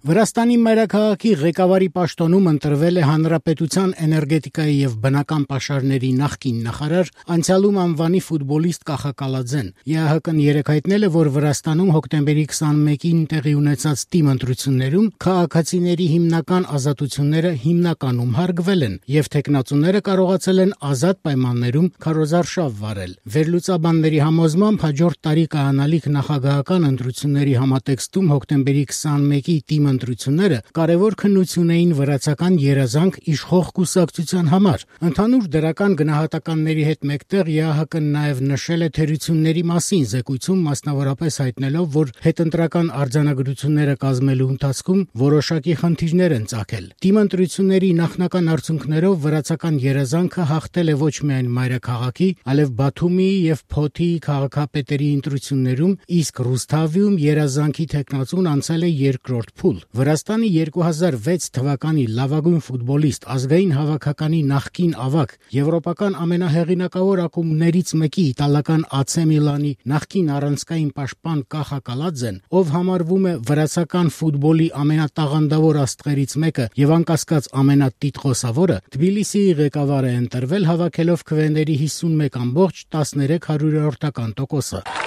Վրաստանի մայրաքաղաքի ղեկավարի պաշտոնում ընտրվել է Հանրապետության էներգետիկայի եւ բնական պաշարների նախկին նախարար, անցյալում անվանի ֆուտբոլիստ Կախա Կալաձեն։ ԵԱՀԿ-ն երեկ հայտնել է, որ Վրաստանում հոկտեմբերի 21-ին տեղի ունեցած թիմ ընտրություններում քաղաքացիների հիմնական ազատությունները հիմնականում հարգվել են եւ թեկնածուները կարողացել են ազատ պայմաններում քարոզարշավ վարել։ Վերլուծաբանների համոզմամբ հաջորդ տարի կայանալիք նախագահական ընտրությունների համատեքստում հոկտեմբերի 21-ի թիմ ընտրությունները կարևոր քննություն էին վրացական երազանք իշխող կուսակցության համար։ Ընդհանուր դրական գնահատականների հետ մեկտեղ ԵԱՀԿ-ն նաև նշել է թերությունների մասին զեկույցում, մասնավորապես հայտնելով, որ հետընտրական արձանագրությունները կազմելու ընթացքում որոշակի խնդիրներ են ծագել։ Թիմ ընտրությունների նախնական արդյունքներով վրացական երազանքը հաղթել է ոչ միայն մայրաքաղաքի, այլև Բաթումիի եւ Փոթիի քաղաքապետերի ընտրություններում, իսկ Ռուսթավիում երազանքի թեկնածուն անցել է երկրորդ փուլ։ Վրաստանի 2006 թվականի լավագույն ֆուտբոլիստ, ազգային հավաքականի նախկին ավագ, եվրոպական ամենահեղինակավոր ակումբներից մեկի իտալական AC Միլանի նախկին առանցքային պաշտպան Կախա Կալաձեն, ով համարվում է վրացական ֆուտբոլի ամենատաղանդավոր աստղերից մեկը եւ անկասկած ամենատիտղոսավորը, Թբիլիսիի ղեկավար է ընտրվել հավաքելով քվեների 51.13%։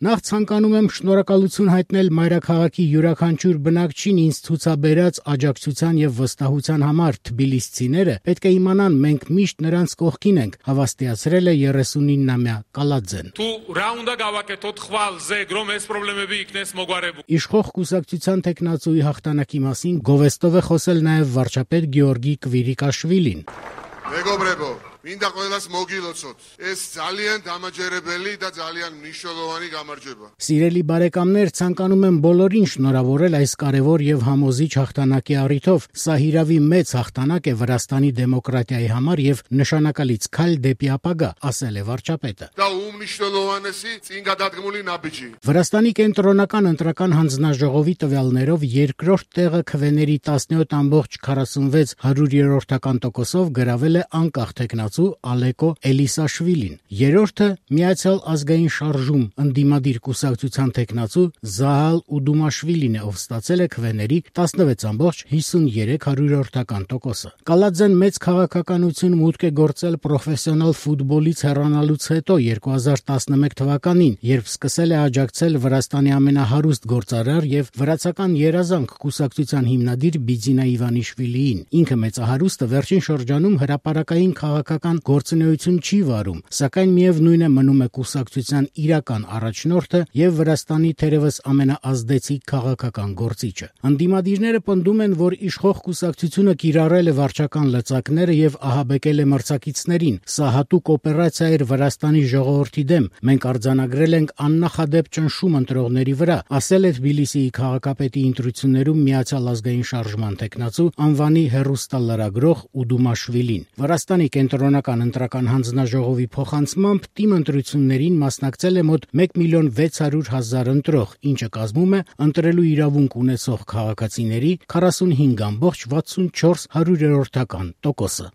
Նախ ցանկանում եմ շնորհակալություն հայտնել մայրաքաղաքի յուրաքանչյուր բնակչին ինձ ցուցաբերած աջակցության եւ վստահության համար։ Թբիլիսցիները պետք է իմանան, մենք միշտ նրանց կողքին ենք, հավաստիացրել է 39-ամյա Կալաձեն։ Իշխող կուսակցության տեխնացուի հաղթանակի մասին գովեստով է խոսել նաեւ վարչապետ Գեորգի Կվիրիկաշվիլին։ Მინდა ყველას მოგილოცოთ. ეს ძალიან დამაჯერებელი და ძალიან მნიშვნელოვანი გამარჯვება. Սիրելի բարեկամներ, ցանկանում եմ բոլորին շնորհավորել այս կարևոր եւ համոզիչ հաղթանակի առիթով։ Սա հիրավի մեծ հաղթանակ է Վրաստանի դեմոկրատիայի համար եւ նշանակալից քայլ դեպի ապագա, ասել է վարչապետը։ Դա უმნიშვნელოვანესი წინ გადადგმული ნაბიჯი. Վրաստանի կենտրոնական ընտրական հանձնաժողովի տվյալներով երկրորդ տեղը քվեների 17.46%-ով գրավել է անկախ տեխնացու Ալեկո Էլիսաշվիլին։ Երրորդը Միացյալ ազգային շարժում ընդդիմադիր կուսակցության տեխնացու Զահալ Ուդումաշվիլին է, ով ստացել է քվեների 16.53%։ Կալաձեն մեծ քաղաքականություն մուտք է գործել պրոֆեսիոնալ ֆուտբոլից հեռանալուց հետո 2011 թվականին, երբ սկսել է աջակցել Վրաստանի ամենահարուստ գործարար եւ վրացական երազանք կուսակցության հիմնադիր Բիձինա Իվանիշվիլիին։ Ինքը մեծահարուստը վերջին շրջանում հրապարակային քաղաքական գործունեություն չի վարում, սակայն միևնույն է մնում է կուսակցության իրական առաջնորդը եւ Վրաստանի թերևս ամենաազդեցիկ քաղաքական գործիչը։ Ընդդիմադիրները պնդում են, որ իշխող կուսակցությունը կիրառել է վարչական լծակները եւ ահաբեկել է մրցակիցներին։ Սա հատուկ օպերացիա էր Վրաստանի ժողովրդի դեմ։ Մենք արձանագրել ենք աննախադեպ ճնշում ընտրողների վրա, ասել է Թբիլիսիի քաղաքապետի ընտրություններում Միացյալ ազգային շարժման տեխնացու անվանի հեռուստալրագրող Ուդումաշվիլին։ Վրաստանի կենտրոնական ընտրական հանձնաժողովի փոխանցմամբ թիմ ընտրություններին մասնակցել է մոտ 1.600.000 ընտրող, ինչը կազմում է ընտրելու իրավունք ունեցող քաղաքացիների 45.64%-ը։